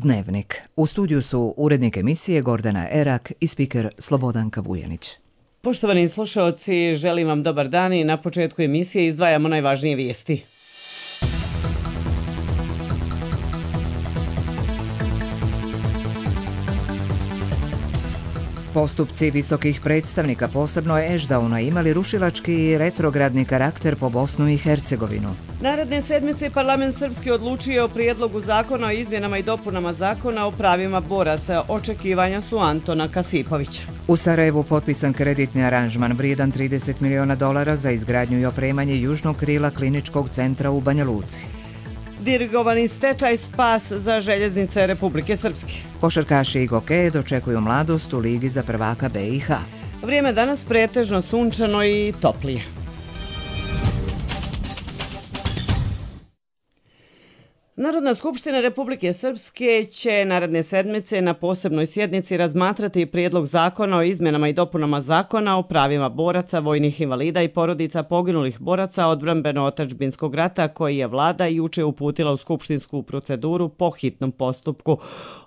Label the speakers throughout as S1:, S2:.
S1: Dnevnik. U studiju su urednik emisije Gordana Erak i spiker Slobodanka Vujanić.
S2: Poštovani slušaoci, želim vam dobar dan i na početku emisije izdvajamo najvažnije vijesti.
S1: Postupci visokih predstavnika, posebno Ešdauna, imali rušilački i retrogradni karakter po Bosnu i Hercegovinu.
S2: Naredne sedmice parlament srpski odlučio o prijedlogu zakona o izmjenama i dopunama zakona o pravima boraca. Očekivanja su Antona Kasipovića.
S1: U Sarajevu potpisan kreditni aranžman vrijedan $30 miliona za izgradnju i opremanje južnog krila kliničkog centra u Banja Luci.
S2: Dirigovani stečaj spas za željeznice Republike Srpske.
S1: Košarkaši i gokeje dočekuju mladost u Ligi za prvaka BiH.
S2: Vrijeme danas pretežno sunčano i toplije. Narodna skupština Republike Srpske će naredne sedmice na posebnoj sjednici razmatrati prijedlog zakona o izmjenama i dopunama zakona o pravima boraca, vojnih invalida i porodica poginulih boraca odbrambeno-otadžbinskog rata koji je vlada juče uputila u skupštinsku proceduru po hitnom postupku.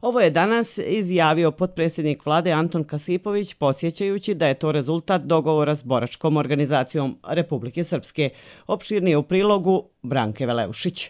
S2: Ovo je danas izjavio potpredsjednik vlade Anton Kasipović, podsjećajući da je to rezultat dogovora s boračkom organizacijom Republike Srpske. Opširnije u prilogu Branke Veleušić.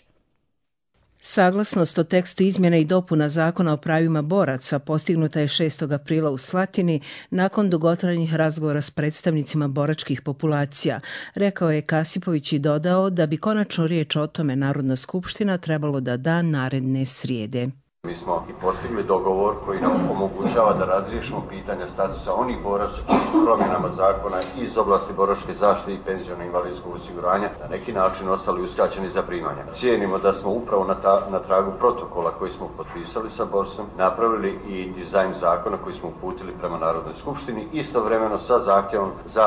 S3: Saglasnost o tekstu izmjena i dopuna zakona o pravima boraca postignuta je 6. aprila u Slatini nakon dugotrajnih razgovora s predstavnicima boračkih populacija, rekao je Kasipović i dodao da bi konačno riječ o tome Narodna skupština trebalo da da naredne srijede.
S4: Mi smo i postigli dogovor koji nam omogućava da razriješimo pitanja statusa onih boraca koji su promjenama zakona iz oblasti boračke zaštite i penziono-invalidskog osiguranja na neki način ostali uskraćeni za primanja. Cijenimo da smo upravo na tragu protokola koji smo potpisali sa Borsom napravili i dizajn zakona koji smo uputili prema Narodnoj skupštini, istovremeno sa zahtjevom za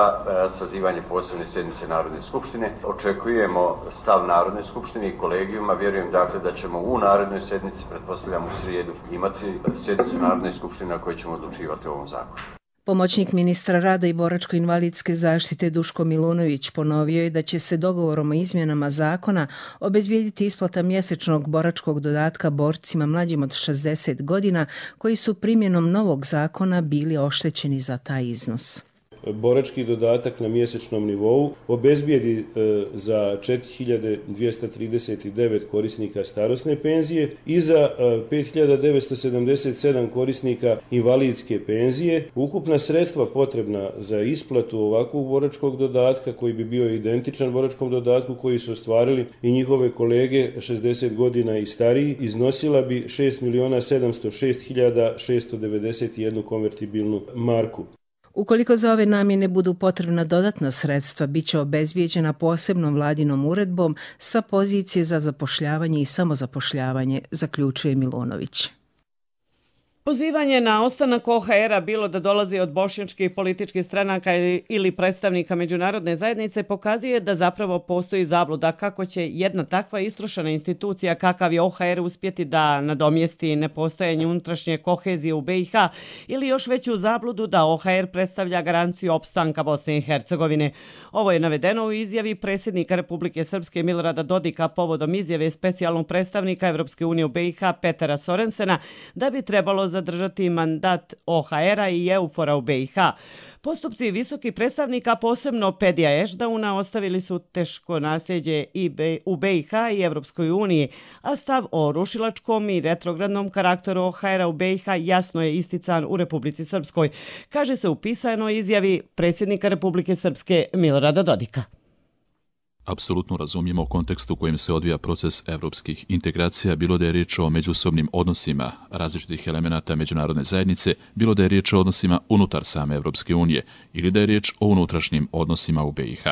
S4: sazivanje posebne sjednice Narodne skupštine. Očekujemo stav Narodne skupštine i kolegijuma. Vjerujem dakle da ćemo u narednoj sjednici, pretpostavljam u srijedu, imati sjednicu Narodne skupštine na kojoj ćemo odlučivati o ovom zakonu.
S3: Pomoćnik ministra rada i boračko-invalidske zaštite Duško Milunović ponovio je da će se dogovorom o izmjenama zakona obezbijediti isplata mjesečnog boračkog dodatka borcima mlađim od 60 godina koji su primjenom novog zakona bili oštećeni za taj iznos.
S5: Borački dodatak na mjesečnom nivou obezbijedi za 4239 korisnika starosne penzije i za 5977 korisnika invalidske penzije. Ukupna sredstva potrebna za isplatu ovakvog boračkog dodatka, koji bi bio identičan boračkom dodatku koji su ostvarili i njihove kolege 60 godina i stariji, iznosila bi 6.706.691 konvertibilnu marku.
S3: Ukoliko za ove namjene budu potrebna dodatna sredstva, bit će obezbijeđena posebnom vladinom uredbom sa pozicije za zapošljavanje i samozapošljavanje, zaključuje Milunović.
S2: Pozivanje na ostanak OHR-a, bilo da dolazi od bošnjačkih političkih stranaka ili predstavnika međunarodne zajednice, pokazuje da zapravo postoji zabluda kako će jedna takva istrošena institucija kakav je OHR uspjeti da nadomjesti nepostojanje unutrašnje kohezije u BiH ili još veću zabludu da OHR predstavlja garanciju opstanka Bosne i Hercegovine. Ovo je navedeno u izjavi predsjednika Republike Srpske Milorada Dodika povodom izjave specijalnog predstavnika Evropske unije u BiH Petera Sorensena da bi trebalo zadržati mandat OHR-a i EUFOR-a u BiH. Postupci visokih predstavnika, posebno Pedija Ešdauna, ostavili su teško nasljeđe u BiH i Evropskoj uniji, a stav o rušilačkom i retrogradnom karakteru OHR-a u BiH jasno je istican u Republici Srpskoj, kaže se u pisanoj izjavi predsjednika Republike Srpske Milorada Dodika.
S6: Apsolutno razumijemo kontekst u kojem se odvija proces evropskih integracija, bilo da je riječ o međusobnim odnosima različitih elemenata međunarodne zajednice, bilo da je riječ o odnosima unutar same Evropske unije ili da je riječ o unutrašnjim odnosima u BiH.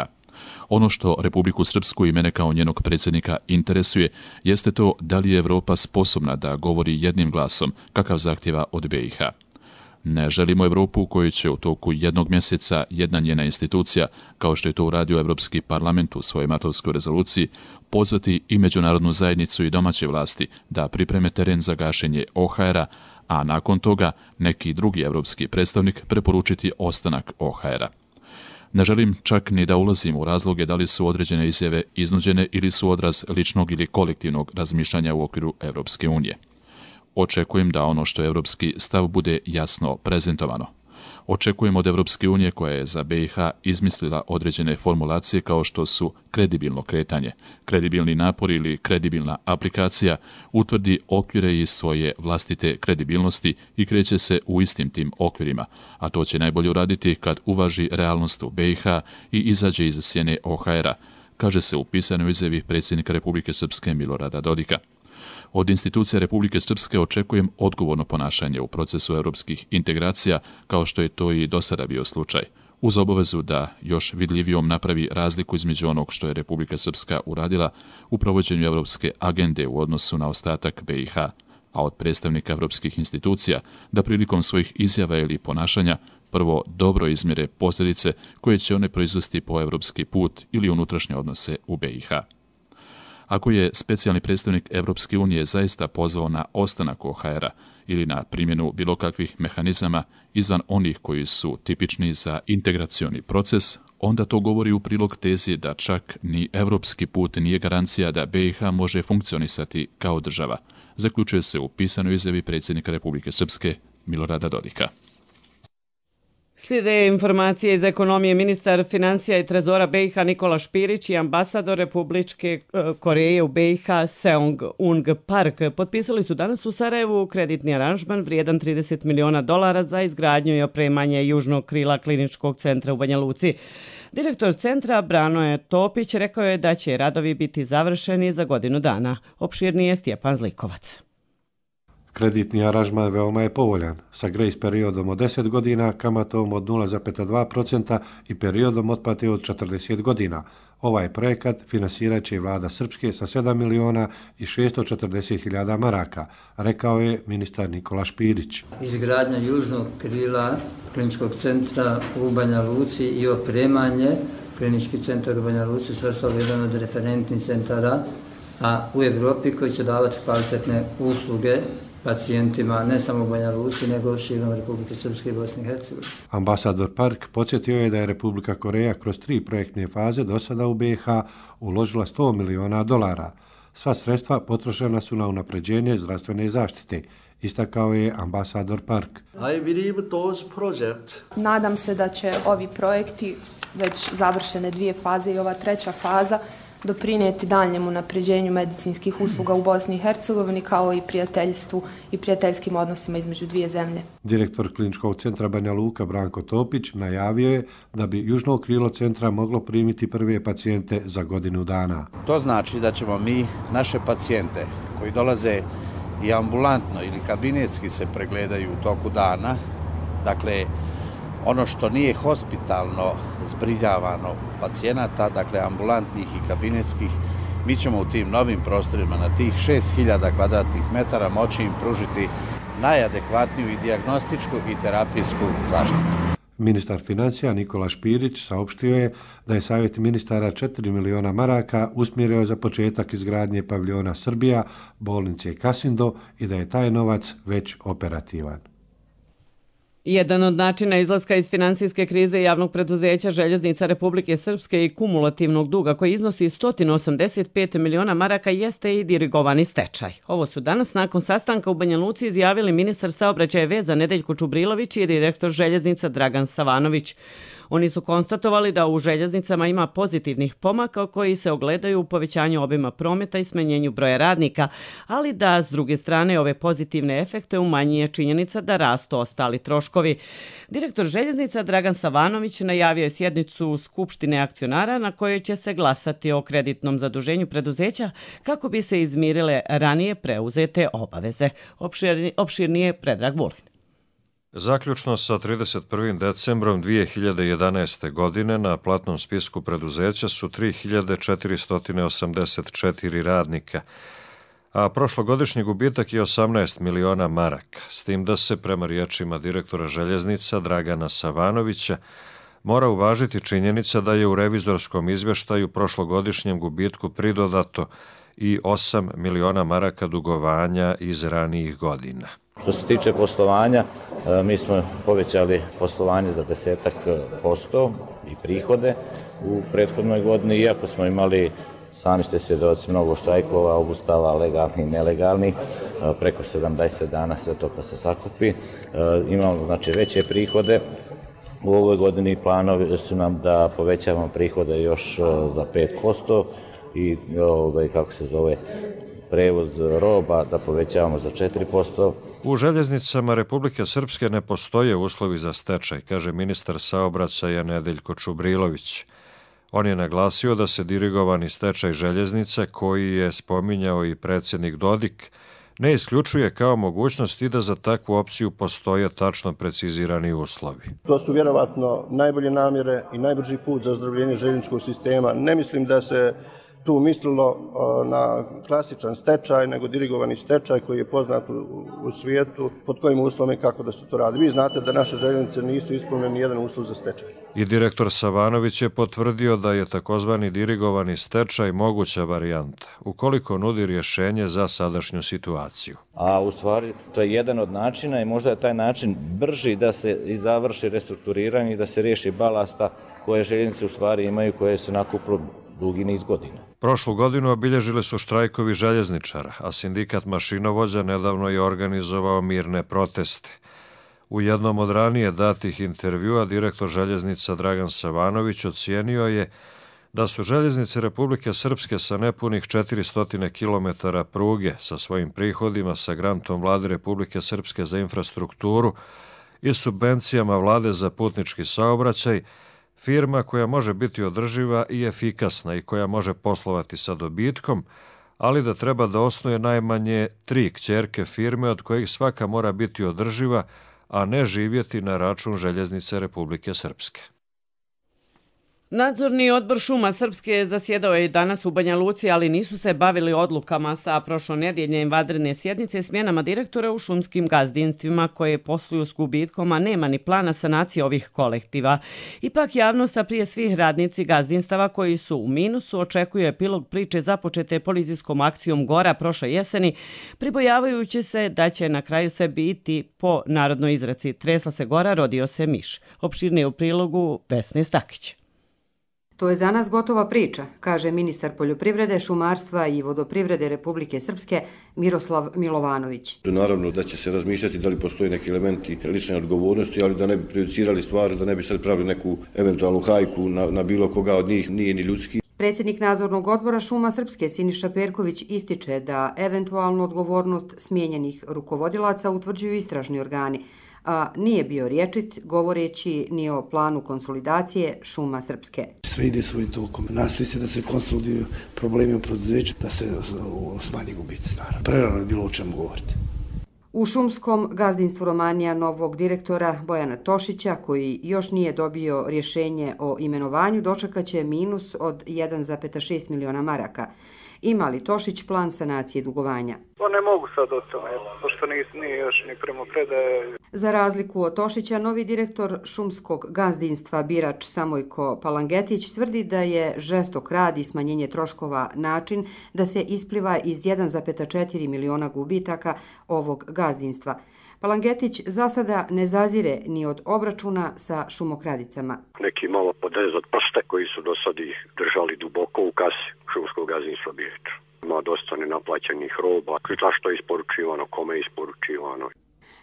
S6: Ono što Republiku Srpsku i mene kao njenog predsjednika interesuje jeste to da li je Evropa sposobna da govori jednim glasom kakav zahtjeva od BiH. Ne želimo Evropu u kojoj će u toku jednog mjeseca jedna njena institucija, kao što je to uradio Evropski parlament u svojoj martovskoj rezoluciji, pozvati i međunarodnu zajednicu i domaće vlasti da pripreme teren za gašenje OHR-a, a nakon toga neki drugi evropski predstavnik preporučiti ostanak OHR-a. Ne želim čak ni da ulazim u razloge da li su određene izjave iznuđene ili su odraz ličnog ili kolektivnog razmišljanja u okviru Evropske unije. Očekujem da ono što je evropski stav bude jasno prezentovano. Očekujem od Evropske unije, koja je za BiH izmislila određene formulacije kao što su kredibilno kretanje, kredibilni napor ili kredibilna aplikacija, utvrdi okvire iz svoje vlastite kredibilnosti i kreće se u istim tim okvirima, a to će najbolje uraditi kad uvaži realnost u BiH i izađe iz sjene OHR-a, kaže se u pisanoj izjavi predsjednika Republike Srpske Milorada Dodika. Od institucija Republike Srpske očekujem odgovorno ponašanje u procesu europskih integracija, kao što je to i do sada bio slučaj, uz obavezu da još vidljivijom napravi razliku između onog što je Republika Srpska uradila u provođenju evropske agende u odnosu na ostatak BiH, a od predstavnika evropskih institucija da prilikom svojih izjava ili ponašanja prvo dobro izmjere posljedice koje će one proizvesti po evropski put ili unutrašnje odnose u BiH. Ako je specijalni predstavnik Evropske unije zaista pozvao na ostanak OHR-a ili na primjenu bilo kakvih mehanizama izvan onih koji su tipični za integracioni proces, onda to govori u prilog tezi da čak ni evropski put nije garancija da BiH može funkcionisati kao država, zaključuje se u pisanoj izjavi predsjednika Republike Srpske Milorada Dodika.
S2: Slijede informacije iz ekonomije. Ministar financija i trezora BiH Nikola Špirić i ambasador Republičke Koreje u BiH Seong-Ung Park potpisali su danas u Sarajevu kreditni aranžman vrijedan $30 miliona za izgradnju i opremanje južnog krila kliničkog centra u Banja Luci. Direktor centra Branoje Topić rekao je da će radovi biti završeni za godinu dana. Opširnije Stjepan Zlikovac.
S7: Kreditni aranžman veoma je povoljan, sa grace periodom od 10 godina, kamatom od 0,2% i periodom otplate od 40 godina. Ovaj projekat finansirat će vlada Srpske sa 7.640.000 maraka, rekao je ministar Nikola Špirić.
S8: Izgradnja južnog krila kliničkog centra u Banja Luci i opremanje klinički centar u Banja Luci svrstao jedan od referentnih centara u Evropi koji će davati kvalitetne usluge pacijentima ne samo u Banja Luci, nego širom Republike Srpske i Bosne i Hercegovine.
S7: Ambasador Park podsjetio je da je Republika Koreja kroz 3 projektne faze do sada u BiH uložila $100 miliona. Sva sredstva potrošena su na unapređenje zdravstvene zaštite, istakao je ambasador Park.
S9: Nadam se da će ovi projekti, već završene 2 faze i ova 3. faza, doprinijeti daljnjem unapređenju medicinskih usluga u Bosni i Hercegovini kao i prijateljstvu i prijateljskim odnosima između dvije zemlje.
S7: Direktor kliničkog centra Banja Luka Branko Topić najavio je da bi južno krilo centra moglo primiti prve pacijente za godinu dana.
S10: To znači da ćemo mi naše pacijente koji dolaze i ambulantno ili kabinetski se pregledaju u toku dana, dakle ono što nije hospitalno zbrinjavano pacijenata, dakle ambulantnih i kabinetskih, mi ćemo u tim novim prostorima na tih 6000 kvadratnih metara moći im pružiti najadekvatniju i dijagnostičku i terapijsku zaštitu.
S7: Ministar financija Nikola Špirić saopštio je da je Savjet ministara $4 miliona usmjerio za početak izgradnje paviljona Srbija, bolnice Kasindo i da je taj novac već operativan.
S2: Jedan od načina izlaska iz finansijske krize javnog preduzeća Željeznica Republike Srpske i kumulativnog duga koji iznosi $185 miliona jeste i dirigovani stečaj. Ovo su danas nakon sastanka u Banja Luci izjavili ministar saobraćaja i veza Nedeljko Čubrilović i direktor Željeznica Dragan Savanović. Oni su konstatovali da u željeznicama ima pozitivnih pomaka koji se ogledaju u povećanju obima prometa i smanjenju broja radnika, ali da s druge strane ove pozitivne efekte umanjuje činjenica da rastu ostali troškovi. Direktor željeznica Dragan Savanović najavio je sjednicu Skupštine akcionara na kojoj će se glasati o kreditnom zaduženju preduzeća kako bi se izmirile ranije preuzete obaveze. Opširnije Predrag Vulin.
S11: Zaključno sa 31. decembrom 2011. godine na platnom spisku preduzeća su 3484 radnika, a prošlogodišnji gubitak je 18 miliona maraka, s tim da se prema riječima direktora željeznica Dragana Savanovića mora uvažiti činjenica da je u revizorskom izvještaju prošlogodišnjem gubitku pridodato i 8 miliona maraka dugovanja iz ranijih godina.
S12: Što se tiče poslovanja, mi smo povećali poslovanje za 10% i prihode u prethodnoj godini, iako smo imali Sami ste svjedoci mnogo štrajkova, obustava legalni i nelegalni, preko 70 dana sve to kad se sakupi. Imamo znači veće prihode. U ovoj godini planovi su nam da povećavamo prihode još za 5% i prevoz roba da povećavamo za 4%.
S11: U željeznicama Republike Srpske ne postoje uslovi za stečaj, kaže ministar saobraćaja Nedeljko Čubrilović. On je naglasio da se dirigovani stečaj željeznice, koji je spominjao i predsjednik Dodik, ne isključuje kao mogućnost i da za takvu opciju postoje tačno precizirani uslovi.
S13: To su vjerovatno najbolje namjere i najbrži put za ozdravljenje željezničkog sistema. Ne mislim da se tu mislilo na klasičan stečaj, nego dirigovani stečaj koji je poznat u svijetu, pod kojim uslovima i kako da se to radi. Vi znate da naše željeznice nisu ispunjeni nijedan uslov za stečaj.
S11: I direktor Savanović je potvrdio da je takozvani dirigovani stečaj moguća varijanta, ukoliko nudi rješenje za sadašnju situaciju.
S12: A u stvari to je jedan od načina i možda je taj način brži da se i završi restrukturiranje i da se riješi balasta koje željeznice u stvari imaju, koje se nakupilo dugi niz godina.
S11: Prošlu godinu obilježili su štrajkovi željezničara, a sindikat mašinovođa nedavno je organizovao mirne proteste. U jednom od ranije datih intervjua direktor željeznica Dragan Savanović ocijenio je da su željeznice Republike Srpske sa nepunih 400 km pruge sa svojim prihodima sa grantom Vlade Republike Srpske za infrastrukturu i subvencijama Vlade za putnički saobraćaj firma koja može biti održiva i efikasna i koja može poslovati sa dobitkom, ali da treba da osnuje najmanje 3 kćerke firme od kojih svaka mora biti održiva, a ne živjeti na račun željeznice Republike Srpske.
S2: Nadzorni odbor Šuma Srpske zasjedao je danas u Banja Luci, ali nisu se bavili odlukama sa prošlonedjeljne vanredne sjednice smjenama direktora u šumskim gazdinstvima koje posluju s gubitkom, a nema ni plana sanacije ovih kolektiva. Ipak javnost, a prije svih radnici gazdinstava koji su u minusu, očekuje epilog priče započete policijskom akcijom Gora prošle jeseni, pribojavajući se da će na kraju sve biti po narodnoj izreci tresla se gora, rodio se miš. Opširnije u prilogu Vesne Stakić.
S14: To je za nas gotova priča, kaže ministar poljoprivrede, šumarstva i vodoprivrede Republike Srpske Miroslav Milovanović.
S15: Naravno da će se razmišljati da li postoji neki elementi lične odgovornosti, ali da ne bi prejudicirali stvari, da ne bi sad pravili neku eventualnu hajku na bilo koga od njih, nije ni ljudski.
S14: Predsjednik nadzornog odbora Šuma Srpske Siniša Perković ističe da eventualnu odgovornost smijenjenih rukovodilaca utvrđuju istražni organi, a nije bio rječit govoreći ni o planu konsolidacije Šuma Srpske.
S16: Sve ide svojim tokom. Nastoji se da se konsoliduju problemi u preduzeću, da se smanji gubici. Prerano je bilo o čemu govoriti.
S14: U šumskom gazdinstvu Romanija novog direktora Bojana Tošića, koji još nije dobio rješenje o imenovanju, dočekaće minus od 1,6 miliona maraka. Ima li Tošić plan sanacije dugovanja?
S17: To ne mogu sad o tome, pošto nije još ni primopredaje.
S14: Za razliku od Tošića, novi direktor šumskog gazdinstva Birač Samojko Palangetić tvrdi da je žestok rad i smanjenje troškova način da se ispliva iz 1,4 miliona gubitaka ovog gazdinstva. Palangetić za sada ne zazire ni od obračuna sa šumokradicama.
S18: Neki malo podrez od prste koji su do sad ih držali duboko u kasi šumskog gazdinstva Birić. Ima dosta nenaplaćenih roba, zašto je isporučivano, kome je isporučivano.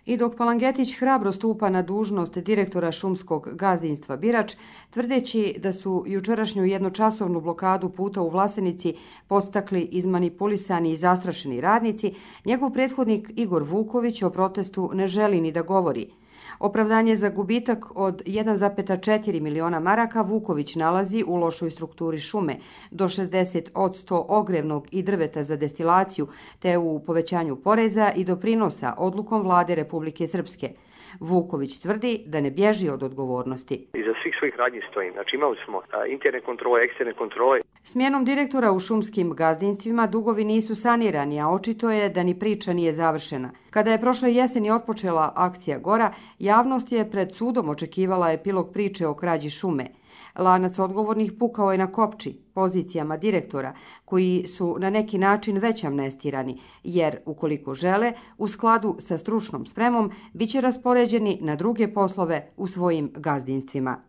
S14: I dok Palangetić hrabro stupa na dužnost direktora šumskog gazdinstva Birač, tvrdeći da su jučerašnju jednočasovnu blokadu puta u Vlasenici podstakli izmanipulisani i zastrašeni radnici, njegov prethodnik Igor Vuković o protestu ne želi ni da govori. Opravdanje za gubitak od 1,4 miliona maraka Vuković nalazi u lošoj strukturi šume, do 60% ogrevnog i drveta za destilaciju, te u povećanju poreza i doprinosa odlukom Vlade Republike Srpske. Vuković tvrdi da ne bježi od odgovornosti.
S18: Iza svih svojih radnji stojim. Znači imali smo interne kontrole, eksterne kontrole.
S14: Smjenom direktora u šumskim gazdinstvima dugovi nisu sanirani, a očito je da ni priča nije završena. Kada je prošle jeseni otpočela akcija Gora, javnost je pred sudom očekivala epilog priče o krađi šume. Lanac odgovornih pukao je na kopči, pozicijama direktora, koji su na neki način već amnestirani, jer ukoliko žele, u skladu sa stručnom spremom, bit će raspoređeni na druge poslove u svojim gazdinstvima.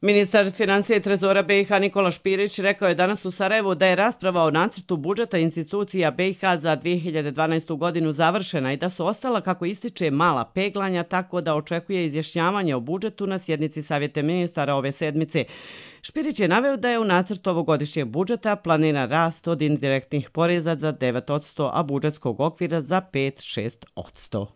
S2: Ministar financija i trezora BiH Nikola Špirić rekao je danas u Sarajevu da je rasprava o nacrtu budžeta institucija BiH za 2012. godinu završena i da su ostala, kako ističe, mala peglanja, tako da očekuje izjašnjavanje o budžetu na sjednici Savjeta ministara ove sedmice. Špirić je naveo da je u nacrtu ovogodišnjeg budžeta planiran rast od indirektnih poreza za 9%, a budžetskog okvira za 5-6%.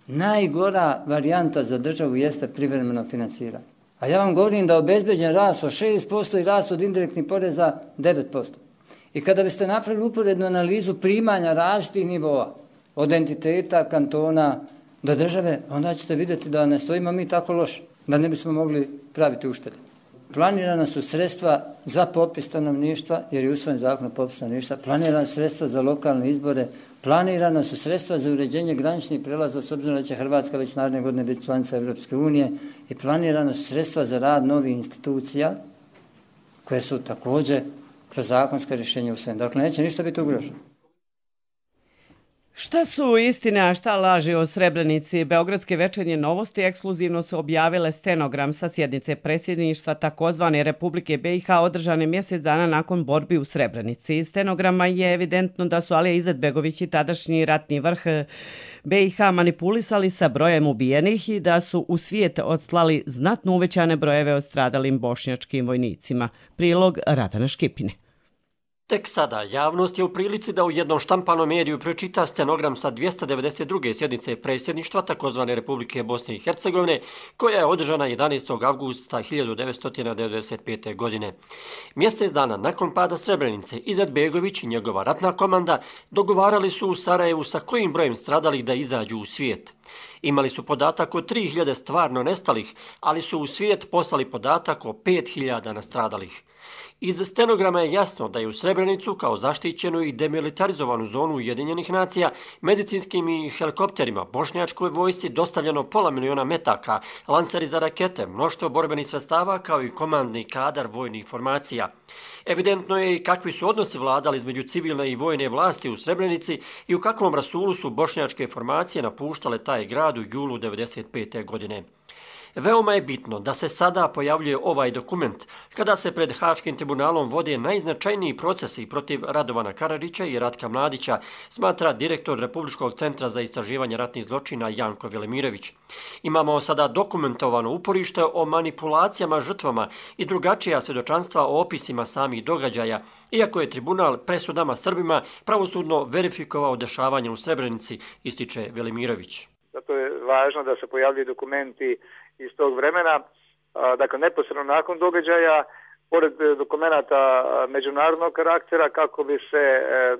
S8: Najgora varijanta za državu jeste privremeno finansiranje. A ja vam govorim da je obezbeđen rast od 6% i rast od indirektnih poreza 9%. I kada biste napravili uporednu analizu primanja različitih nivoa, od entiteta, kantona do države, onda ćete vidjeti da ne stojimo mi tako loše, da ne bismo mogli praviti uštede. Planirana su sredstva za popis stanovništva, jer je usvojen zakon o popisu stanovništva, planirana su sredstva za lokalne izbore, planirana su sredstva za uređenje graničnih prelaza, s obzirom da će Hrvatska već naredne godine biti članica Europske unije, i planirana su sredstva za rad novih institucija, koje su također kroz zakonska rješenja usvojene. Dakle, neće ništa biti ugroženo.
S2: Šta su istine, a šta laži o Srebrenici? Beogradske večernje novosti ekskluzivno su objavile stenogram sa sjednice predsjedništva takozvane Republike BiH održane mjesec dana nakon borbi u Srebrenici. Iz stenograma je evidentno da su Alija Izetbegović i tadašnji ratni vrh BiH manipulisali sa brojem ubijenih i da su u svijet odslali znatno uvećane brojeve o stradalim bošnjačkim vojnicima. Prilog Radana Škipine.
S19: Tek sada javnost je u prilici da u jednom štampanom mediju pročita stenogram sa 292. sjednice predsjedništva takozvane Republike Bosne i Hercegovine, koja je održana 11. avgusta 1995. godine. Mjesec dana nakon pada Srebrenice, Izetbegović i njegova ratna komanda dogovarali su u Sarajevu sa kojim brojem stradalih da izađu u svijet. Imali su podatak o 3000 stvarno nestalih, ali su u svijet poslali podatak o 5000 nastradalih. Iz stenograma je jasno da je u Srebrenicu kao zaštićenu i demilitarizovanu zonu Ujedinjenih nacija medicinskim i helikopterima bošnjačkoj vojsci dostavljeno 500 000 metaka, lanseri za rakete, mnoštvo borbenih sredstava kao i komandni kadar vojnih formacija. Evidentno je i kakvi su odnosi vladali između civilne i vojne vlasti u Srebrenici i u kakvom rasulu su bošnjačke formacije napuštale taj grad u julu 1995. godine. Veoma je bitno da se sada pojavljuje ovaj dokument, kada se pred Haškim tribunalom vode najznačajniji procesi protiv Radovana Karadžića i Ratka Mladića, smatra direktor Republičkog centra za istraživanje ratnih zločina Janko Velimirović. Imamo sada dokumentovano uporište o manipulacijama žrtvama i drugačija svjedočanstva o opisima samih događaja, iako je tribunal presudama Srbima pravosudno verifikovao dešavanje u Srebrenici, ističe Velimirović.
S17: Zato je važno da se pojavljuju dokumenti iz tog vremena, dakle neposredno nakon događaja, pored dokumenata međunarodnog karaktera, kako bi se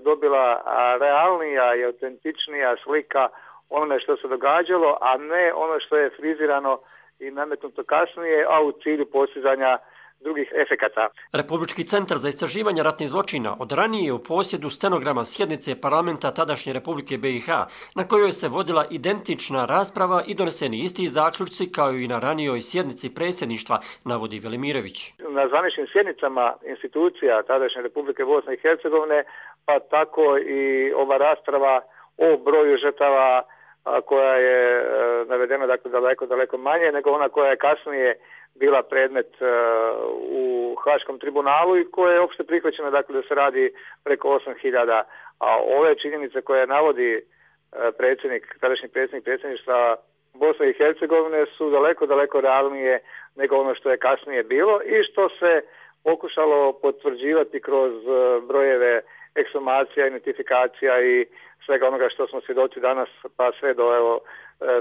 S17: dobila realnija i autentičnija slika onome što se događalo, a ne ono što je frizirano i nametnuto kasnije, a u cilju postizanja drugih efekata.
S19: Republički centar za istraživanje ratnih zločina od ranije je u posjedu stenograma sjednice parlamenta tadašnje Republike BiH, na kojoj se vodila identična rasprava i doneseni isti zaključci kao i na ranijoj sjednici predsjedništva, navodi Velimirović.
S17: Na zvaničnim sjednicama institucija tadašnje Republike Bosne i Hercegovine, pa tako i ova rasprava o broju žrtava koja je navedena, dakle, daleko manje nego ona koja je kasnije bila predmet u Haškom tribunalu i koja je opšte prihvaćena, dakle, da se radi preko 8000, a ove činjenice koje navodi tadašnji predsjednik predsjedništva Bosne i Hercegovine su daleko realnije nego ono što je kasnije bilo i što se pokušalo potvrđivati kroz brojeve ekshumacija, identifikacija i svega onoga što smo svjedoci danas, pa sve do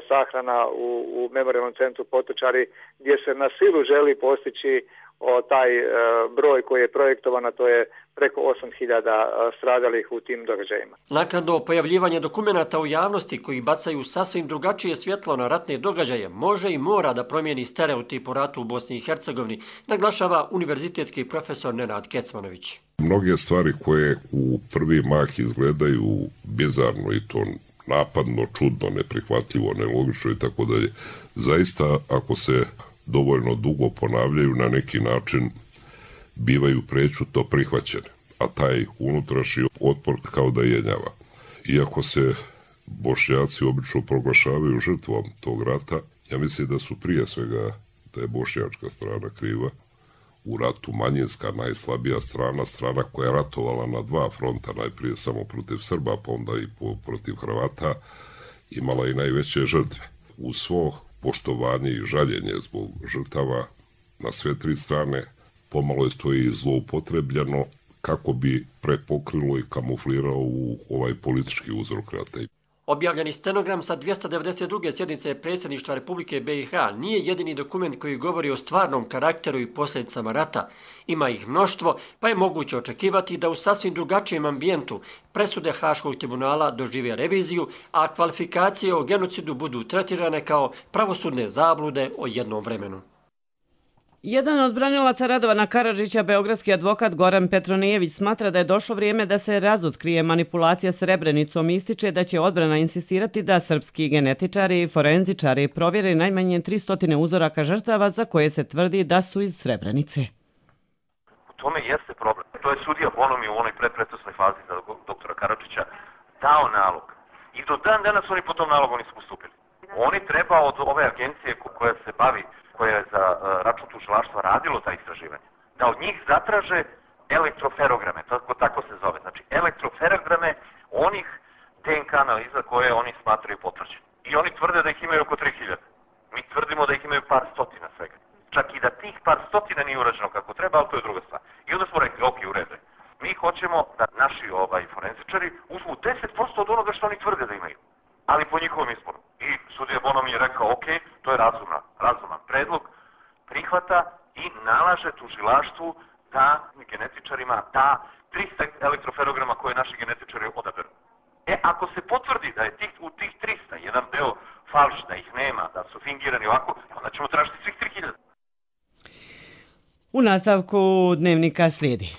S17: sahrana u Memorijalnom centru Potočari, gdje se na silu želi postići taj broj koji je projektovan, a to je preko 8000 stradalih u tim događajima.
S19: Naknadno pojavljivanje dokumenata u javnosti koji bacaju sasvim drugačije svjetlo na ratne događaje može i mora da promijeni stereotip o ratu u Bosni i Hercegovini, naglašava univerzitetski profesor Nenad Kecmanović.
S20: Mnoge stvari koje u prvi mah izgledaju bizarno i to napadno, čudno, neprihvatljivo, nelogično i tako dalje, zaista ako se dovoljno dugo ponavljaju na neki način bivaju prećutno prihvaćene, a taj unutrašnji otpor kao da jenjava. Iako se Bošnjaci obično proglašavaju žrtvom tog rata, ja mislim da su prije svega da je bošnjačka strana kriva. U ratu manjinska, najslabija strana koja je ratovala na dva fronta, najprije samo protiv Srba, pa onda i protiv Hrvata, imala i najveće žrtve. Uz svo poštovanje i žaljenje zbog žrtava na sve tri strane, pomalo je to i zloupotrebljeno kako bi prepokrilo i kamuflirao u ovaj politički uzrok rata.
S19: Objavljeni stenogram sa 292. sjednice predsjedništva Republike BiH nije jedini dokument koji govori o stvarnom karakteru i posljedicama rata. Ima ih mnoštvo, pa je moguće očekivati da u sasvim drugačijem ambijentu presude Haškog tribunala dožive reviziju, a kvalifikacije o genocidu budu tretirane kao pravosudne zablude o jednom vremenu.
S2: Jedan od branilaca Radovana Karadžića, beogradski advokat Goran Petronijević, smatra da je došlo vrijeme da se razotkrije manipulacija Srebrenicom i ističe da će odbrana insistirati da srpski genetičari i forenzičari provjere najmanje 300 uzoraka žrtava za koje se tvrdi da su iz Srebrenice.
S21: U tome jeste problem. To je sudija Bonomi u onoj predprocesnoj fazi za doktora Karadžića dao nalog. I do dan danas oni po tom nalogu nisu postupili. Oni treba od ove agencije koja se bavi, koja je za račun tužilaštva radilo ta istraživanja, da od njih zatraže elektroferograme, tako se zove, znači elektroferograme onih DNK analiza koje oni smatraju potvrđene. I oni tvrde da ih imaju oko 3000. Mi tvrdimo da ih imaju par stotina svega. Čak i da tih par stotina nije urađeno kako treba, ali to je druga stvar. I onda smo rekli, ok, u redu. Mi hoćemo da naši forenzičari uzmu 10% od onoga što oni tvrde da imaju, ali po njihovom izboru. I sudija Bonom je rekao, ok, to je razuman predlog, prihvata i nalaže tužilaštvu da genetičarima da 300 elektroferograma koje naši genetičari odaberu. Ako se potvrdi da je u tih 300 jedan deo falš, da ih nema, da su fingirani ovako, onda ćemo tražiti svih 3000.
S2: U nastavku Dnevnika slijedi.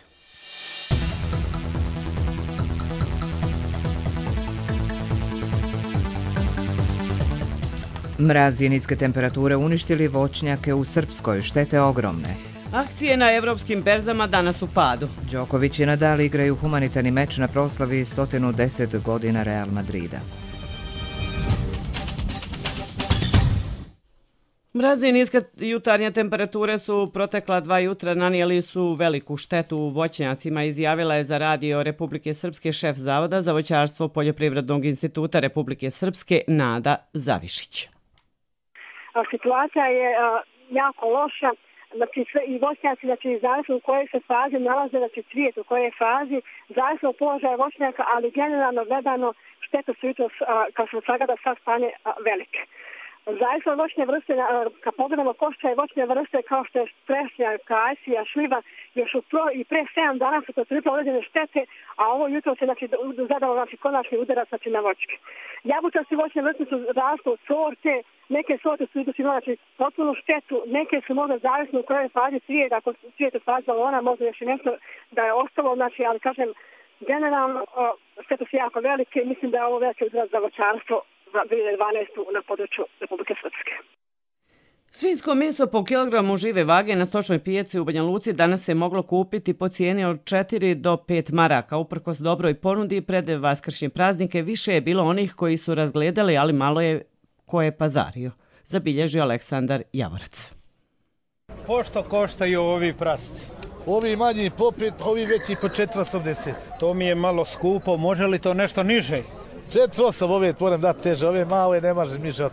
S1: Mraz i niske temperature uništili voćnjake u Srpskoj, štete ogromne.
S2: Akcije na evropskim berzama danas u padu.
S1: Đoković i Nadal igraju humanitarni meč na proslavi 110 godina Real Madrida.
S2: Mraz i niske jutarnje temperature su protekla 2 jutra nanijeli su veliku štetu u voćnjacima, izjavila je za Radio Republike Srpske šef Zavoda za voćarstvo Poljoprivrednog instituta Republike Srpske Nada Zavišić.
S22: Situacija je jako loša, znači i voćnjaci, znači zavisno u kojoj se fazi nalaze, znači cvijet u kojoj fazi, zavisno od položaja voćnjaka, ali generalno gledano štete su jutros, kao što sagleda sad stanje, velike. Zavisno od voćne vrste, kad pogledamo košća i voćne vrste kao što je trešnja, kajsija, šljiva, još i pre 7 dana su to trpile određene štete, a ovo jutro se zadalo konačni udarac na voćke. Jabučaste voćne vrste su rasle od sorte, neke sorte su imale potpunu štetu, neke su možda zavisno u kojoj fazi cvijet, ako cvijet u fazi balona, možda još i nešto da je ostalo, ali kažem, generalno štete su jako velike i mislim da je ovo veliki udarac za voćarstvo za 2012. na području Republike Srpske.
S2: Svinjsko meso po kilogramu žive vage na stočnoj pijaci u Banja Luci danas se moglo kupiti po cijeni od 4 do 5 maraka. Uprkos dobroj ponudi pred vaskršnje praznike više je bilo onih koji su razgledali, ali malo je ko je pazario. Zabilježio Aleksandar Javorac.
S23: Pošto koštaju ovi prasci? Ovi manji po 5, ovi veći po 4,80. To mi je malo skupo, može li to nešto niže? 4,8 ove moram dati teže, ove male ne može niže od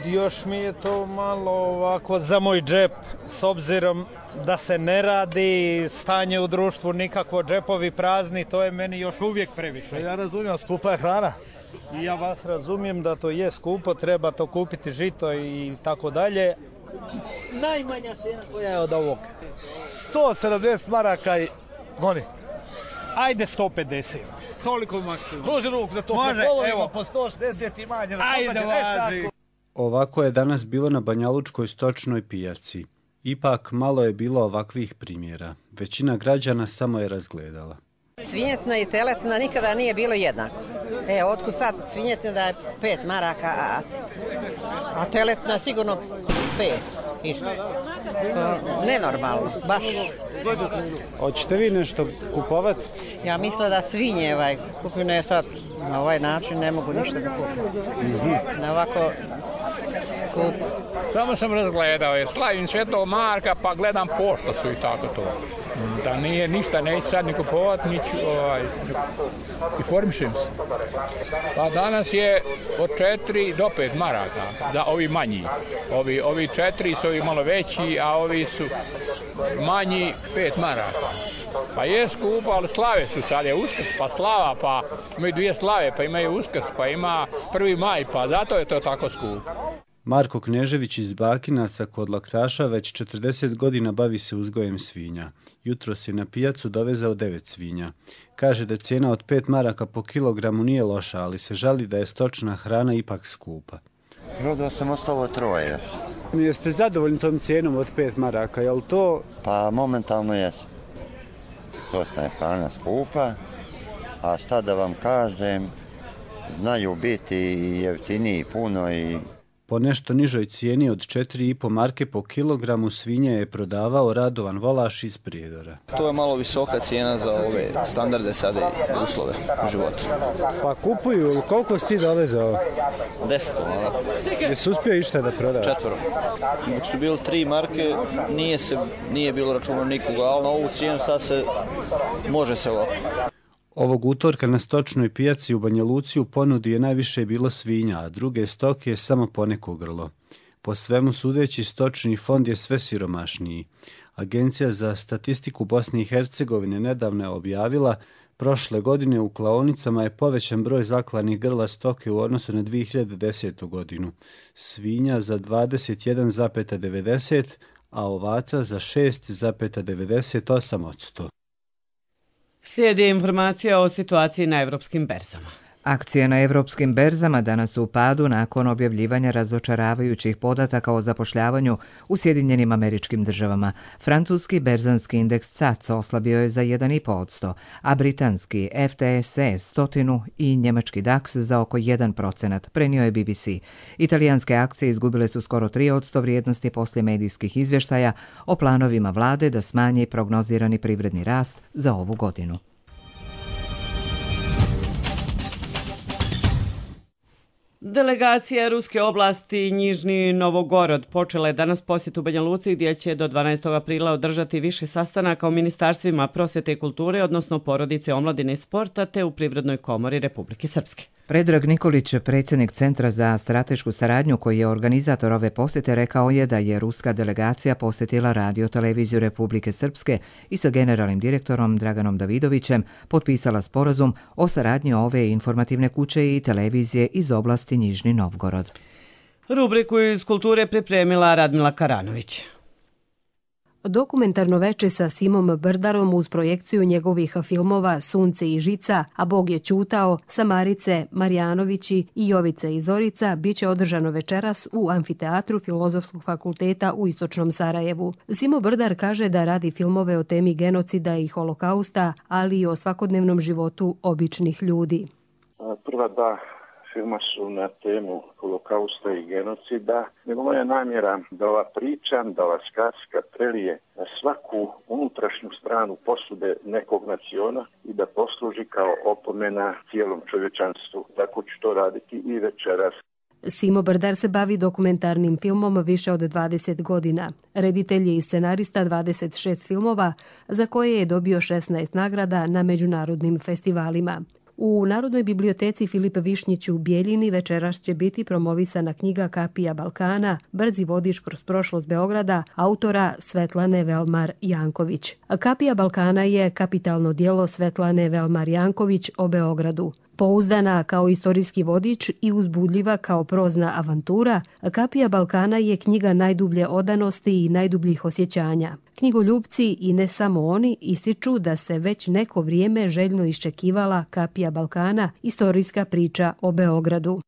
S23: 5. Još mi je to malo ovako za moj džep, s obzirom da se ne radi stanje u društvu, nikakvo džepovi prazni, to je meni još uvijek previše. Ja razumijem, skupa je hrana. I ja vas razumijem da to je skupo, treba to kupiti žito i tako dalje. Najmanja cena koja je od ovog? 170 maraka i oni. Ajde 150. Toliko maksimum. Pruži ruku da to prepolovimo po 160 i manje. Ajde, važi.
S24: Ovako je danas bilo na Banjalučkoj stočnoj pijaci. Ipak malo je bilo ovakvih primjera. Većina građana samo je razgledala.
S25: Svinjetna i teletna nikada nije bilo jednako. Otkud sad svinjetna da je 5 maraka, a teletna sigurno 5. Išto. Nenormalno, baš.
S24: Hoćete vi nešto kupovati?
S25: Ja mislim da svinje kupuju, ne sad na ovaj način ne mogu ništa da kupim. Na ovako skup
S3: Samo sam razgledao jer slavim Svetog Marka pa gledam pošto su i tako to. Da nije ništa, neću sad ni kupovati, informišem se. Pa danas je od 4 do 5 maraka za ovi manji. Ovi 4 su ovi malo veći, a ovi su manji 5 maraka. Pa je skupo, ali slave su, sad je Uskrs, pa slava, pa imaju 2 slave, pa imaju Uskrs, pa ima 1. maj, pa zato je to tako skupo.
S24: Marko Knežević iz Bakinaca kod Laktaša već 40 godina bavi se uzgojem svinja. Jutros je na pijacu dovezao 9 svinja. Kaže da cijena od 5 maraka po kilogramu nije loša, ali se žali da je stočna hrana ipak skupa.
S4: Prodao sam ostalo 3 još.
S24: Jeste zadovoljni tom cijenom od 5 maraka, je li to?
S4: Pa momentalno jesu. Stočna je hrana skupa, a šta da vam kažem, znaju biti jeftiniji puno i...
S24: Po nešto nižoj cijeni od 4,5 marke po kilogramu svinje je prodavao Radovan Volaš iz Prijedora.
S5: To je malo visoka cijena za ove standarde sada i uslove u životu.
S24: Pa kupuju, koliko si ti dovezao?
S5: 10 komada.
S24: Jesi uspio išta da prodaš?
S5: 4. Dok su bili 3 marke, nije bilo računa nikoga, ali na ovu cijenu sad se može se ovako.
S24: Ovog utorka na stočnoj pijaci u Banja Luci u ponudi je najviše bilo svinja, a druge stoke je samo poneko grlo. Po svemu sudeći, stočni fond je sve siromašniji. Agencija za statistiku Bosne i Hercegovine nedavno je objavila prošle godine u klaonicama je povećan broj zaklanih grla stoke u odnosu na 2010. godinu. Svinja za 21,90, a ovaca za 6,98%.
S2: Slijedi informacija o situaciji na evropskim berzama.
S1: Akcije na evropskim berzama danas su u padu nakon objavljivanja razočaravajućih podataka o zapošljavanju u Sjedinjenim Američkim Državama. Francuski berzanski indeks CAC oslabio je za 1,5%, a britanski FTSE 100 i njemački DAX za oko 1%, prenio je BBC. Italijanske akcije izgubile su skoro 3% vrijednosti poslije medijskih izvještaja o planovima vlade da smanji prognozirani privredni rast za ovu godinu.
S2: Delegacija Ruske oblasti Nižni Novgorod počela je danas posjet u Banja Luci gdje će do 12. aprila održati više sastanaka u ministarstvima prosvjete i kulture, odnosno porodice, omladine i sporta, te u Privrednoj komori Republike Srpske.
S1: Predrag Nikolić, predsjednik Centra za stratešku saradnju koji je organizator ove posjete, rekao je da je ruska delegacija posjetila Radio-televiziju Republike Srpske i sa generalnim direktorom Draganom Davidovićem potpisala sporazum o saradnji ove informativne kuće i televizije iz oblasti Nižni Novgorod.
S2: Rubriku iz kulture pripremila Radmila Karanović.
S6: Dokumentarno veče sa Simom Brdarom uz projekciju njegovih filmova Sunce i žica, A Bog je ćutao, Samarice, Marjanovići i Jovice i Zorica biće održano večeras u Amfiteatru Filozofskog fakulteta u Istočnom Sarajevu. Simo Brdar kaže da radi filmove o temi genocida i holokausta, ali i o svakodnevnom životu običnih ljudi.
S9: Prva dva filma su na temu holokausta i genocida. Nego moja namjera da ova priča, da ova skaska prelije na svaku unutrašnju stranu posude nekog naciona i da posluži kao opomena cijelom čovječanstvu. Tako ću to raditi i večeras.
S6: Simo Brdar se bavi dokumentarnim filmom više od 20 godina. Reditelj je i scenarista 26 filmova, za koje je dobio 16 nagrada na međunarodnim festivalima. U Narodnoj biblioteci Filip Višnjić u Bijeljini večeras će biti promovisana knjiga Kapija Balkana, brzi vodič kroz prošlost Beograda, autora Svetlane Velmar Janković. Kapija Balkana je kapitalno djelo Svetlane Velmar Janković o Beogradu. Pouzdana kao istorijski vodič i uzbudljiva kao prozna avantura, Kapija Balkana je knjiga najdublje odanosti i najdubljih osjećanja. Knjigoljupci i ne samo oni ističu da se već neko vrijeme željno iščekivala Kapija Balkana, istorijska priča o Beogradu.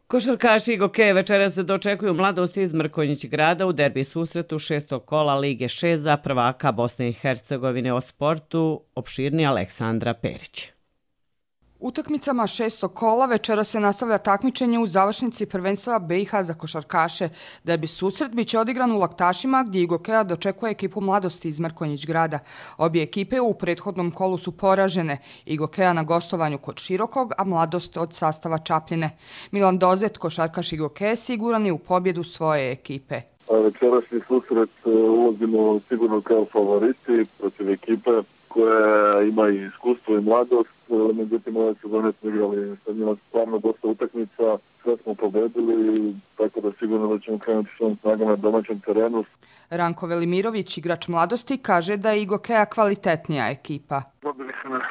S2: Košarkaši Gokeje večeras se dočekuju Mladosti iz Mrkonjić grada u derbi susretu 6. kola Lige 6 za prvaka Bosne i Hercegovine. O sportu opširni Aleksandra Perić.
S7: Utakmicama 6. kola večera se nastavlja takmičenje u završnici prvenstva BiH za košarkaše. Derbi susret biće odigran u Laktašima gdje Igokea dočekuje ekipu Mladosti iz Mrkonjić grada. Obje ekipe u prethodnom kolu su poražene. Igokea na gostovanju kod Širokog, a Mladost od sastava Čapljine. Milan Dozet, košarkaš Igokea, siguran je u pobjedu svoje ekipe.
S10: Večerašnji susret ulazimo sigurno kao favoriti protiv ekipe koja ima i iskustvo i mladost. Međutim, ove sezone smo igrali sa njima stvarno dosta utakmica, sve smo pobedili, tako da sigurno da ćemo krenuti svojom snagama na domaćem terenu.
S7: Ranko Velimirović, igrač Mladosti, kaže da je Igokea kvalitetnija ekipa.
S11: Dobili su nas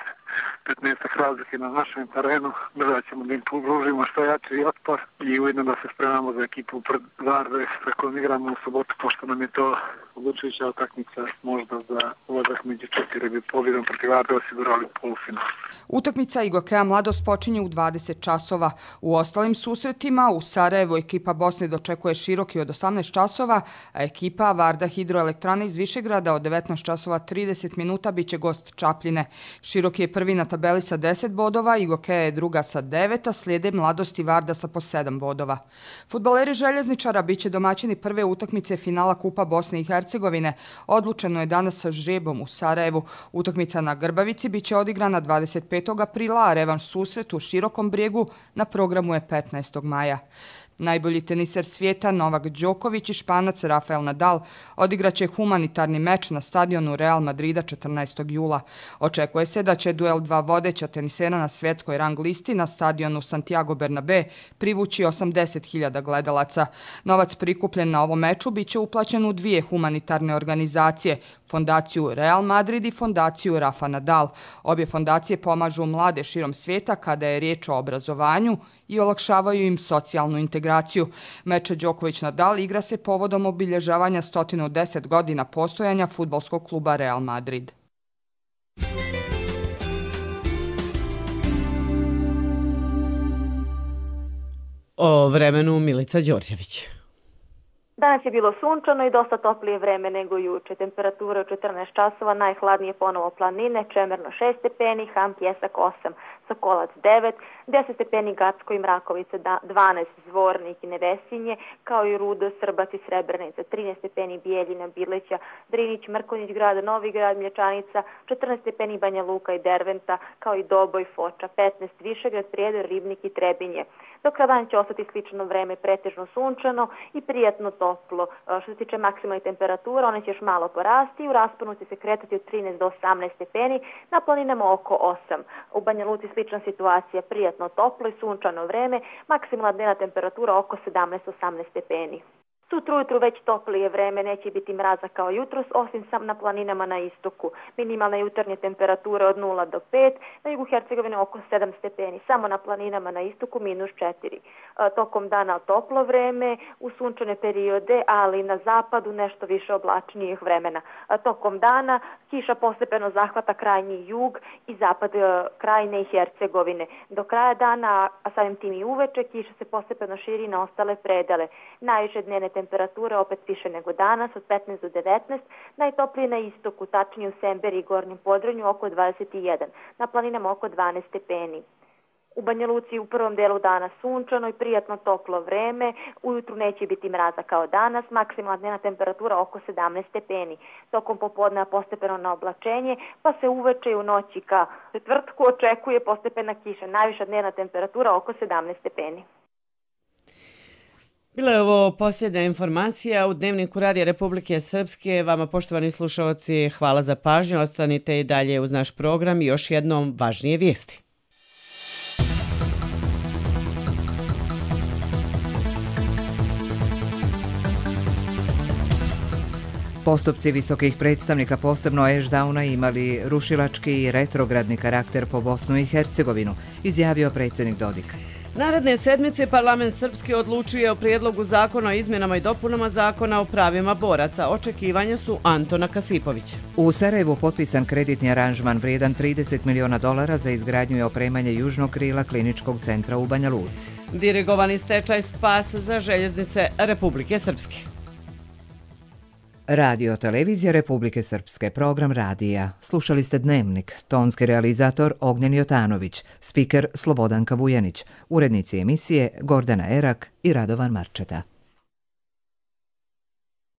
S11: 15 razlike na našem terenu, da ćemo da im pružimo što jači otpor i ujedno da se spremamo za ekipu Varde sa kojom igramo u subotu, pošto nam je to odlučujuća utakmica, možda za ulazak među 4 bi pobjedom protiv Varde osigurali polufinal.
S7: Utakmica Igokea Mladost počinje u 20 časova. U ostalim susretima u Sarajevu ekipa Bosne dočekuje Široki od 18 časova, a ekipa Varda Hidroelektrane iz Višegrada od 19 časova 30 minuta biće gost Čapljine. Široki je prvi na tabeli sa 10 bodova, Igokea je druga sa 9, a slijede Mladost i Varda sa po 7 bodova. Fudbaleri Željezničara biće domaćini prve utakmice finala Kupa Bosne i Hercegovine. Odlučeno je danas sa žrebom u Sarajevu. Utakmica na Grbavici biće odigrana 25. aprila, a revanš susret u Širokom Brijegu na programu je 15. maja. Najbolji teniser svijeta Novak Đoković i Španac Rafael Nadal odigraće humanitarni meč na stadionu Real Madrida 14. jula. Očekuje se da će duel dva vodeća tenisera na svjetskoj rang listi na stadionu Santiago Bernabé privući 80.000 gledalaca. Novac prikupljen na ovom meču biće uplaćen u dvije humanitarne organizacije, fondaciju Real Madrid i fondaciju Rafa Nadal. Obje fondacije pomažu mlade širom svijeta kada je riječ o obrazovanju i olakšavaju im socijalnu integraciju. Meč Đoković-Nadal igra se povodom obilježavanja 110 godina postojanja fudbalskog kluba Real Madrid.
S2: O vremenu Milica Đorđević.
S12: Danas je bilo sunčano i dosta toplije vreme nego juče. Temperatura u 14 časova, najhladnije ponovo planine, Čemerno 6 stepeni, Ham Pjesak 8, Sokolac 9, 10 stepeni Gacko i Mrakovica, 12 Zvornik i Nevesinje, kao i Rudo, Srbac i Srebrenica, 13 stepeni Bijeljina, Bileća, Drinić, Mrkonjić grad, Novi grad, Mlječanica, 14 stepeni Banja Luka i Derventa, kao i Doboj, Foča, 15 Višegrad, Prijedor, Ribnik i Trebinje. Do kraja dana će ostati slično vreme, pretežno sunčano i prijatno toplo. Što se tiče maksimalne temperatura, one će još malo porasti i u rasponu će se kretati od 13 do 18 stepeni, na planinama oko 8. U Banja Luci slična situacija, prijatno toplo i sunčano vreme, maksimalna dnevna temperatura oko 17-18 stepeni. Sutra ujutru već toplije vreme, neće biti mraza kao jutros, osim sam na planinama na istoku. Minimalna jutarnje temperature od 0 do 5, na jugu Hercegovine oko 7 stepeni, samo na planinama na istoku -4. Tokom dana toplo vreme, u sunčane periode, ali na zapadu nešto više oblačnijih vremena. Tokom dana kiša postepeno zahvata krajnji jug i zapad Krajine i Hercegovine. Do kraja dana, a samim tim i uveče, kiša se postepeno širi na ostale predele. Najviše dnevne temperature opet više nego danas, od 15 do 19, najtoplije na istoku, tačnije u Semberi i Gornjem Podrinju oko 21, na planinama oko 12 stepeni. U Banja Luci u prvom delu dana sunčano i prijatno toplo vreme, ujutru neće biti mraza kao danas, maksimalna dnevna temperatura oko 17 stepeni. Tokom popodneva postepeno na oblačenje, pa se uveče i u noći ka četvrtku očekuje postepena kiša, najviša dnevna temperatura oko 17 stepeni.
S2: Bila je ovo posljednja informacija u Dnevniku Radija Republike Srpske. Vama, poštovani slušalci, hvala za pažnju. Ostanite i dalje uz naš program i još jednom važnije vijesti.
S1: Postupci visokih predstavnika, posebno Ešdauna, imali rušilački i retrogradni karakter po Bosnu i Hercegovinu, izjavio predsjednik Dodik.
S2: Naredne sedmice parlament srpski odlučuje o prijedlogu zakona o izmjenama i dopunama zakona o pravima boraca. Očekivanja su Antona Kasipovića.
S1: U Sarajevu potpisan kreditni aranžman vrijedan $30 miliona za izgradnju i opremanje južnog krila kliničkog centra u Banja Luci.
S2: Dirigovani stečaj spas za željeznice Republike Srpske.
S1: Radio Televizija Republike Srpske, program radija. Slušali ste Dnevnik, tonski realizator Ognjen Jotanović, spiker Slobodanka Vujanić, urednici emisije Gordana Erak i Radovan Marčeta.